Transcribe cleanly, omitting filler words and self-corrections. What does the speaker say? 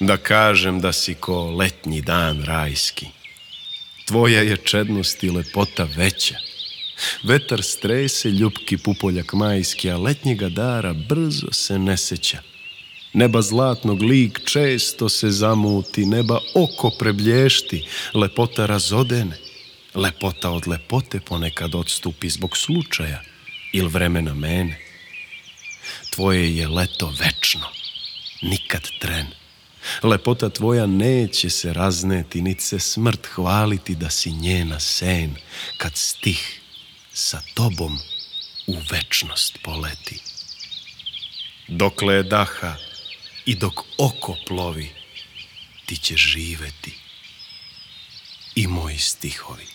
da kažem da si ko letnji dan rajski. Tvoja je čednost i lepota veća. Vetar strese ljupki pupoljak majski, a letnjega dara brzo se ne seća. Neba zlatnog lik često se zamuti, neba oko preblješti, lepota razodene. Lepota od lepote ponekad odstupi zbog slučaja ili vremena mene. Tvoje je leto večno, nikad tren. Lepota tvoja neće se razneti, nit se smrt hvaliti da si njena sen, kad stih sa tobom u večnost poleti. Dokle je daha i dok oko plovi, ti ćeš živeti i moji stihovi.